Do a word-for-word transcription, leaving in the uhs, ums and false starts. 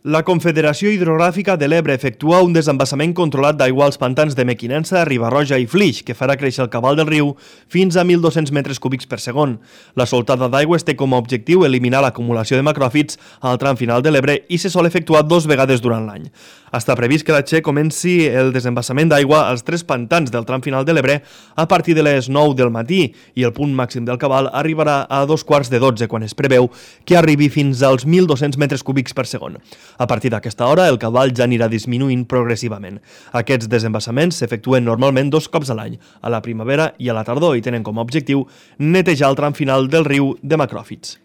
La Confederació Hidrogràfica de l'Ebre efectua un desembassament controlat d'aigua als pantans de Mequinensa, Riba-roja i Flix, que farà créixer el cabal del riu fins a mil dos-cents metres cúbics per segon. La soltada d'aigües té com a objectiu eliminar l'acumulació de macròfits al tram final de l'Ebre i se sol efectuar dos vegades durant l'any. Està previst que la Txe comenci el desembassament d'aigua als tres pantans del tram final de l'Ebre a partir de les nou del matí i el punt màxim del cabal arribarà a dos quarts de dotze, quan es preveu que arribi fins als mil dos-cents metres cúbics per segon. A partir d'aquesta hora, el cabal ja anirà disminuint progressivament. Aquests desembassaments s'efectuen normalment dos cops a l'any, a la primavera i a la tardor, i tenen com a objectiu netejar el tram final del riu de macròfits.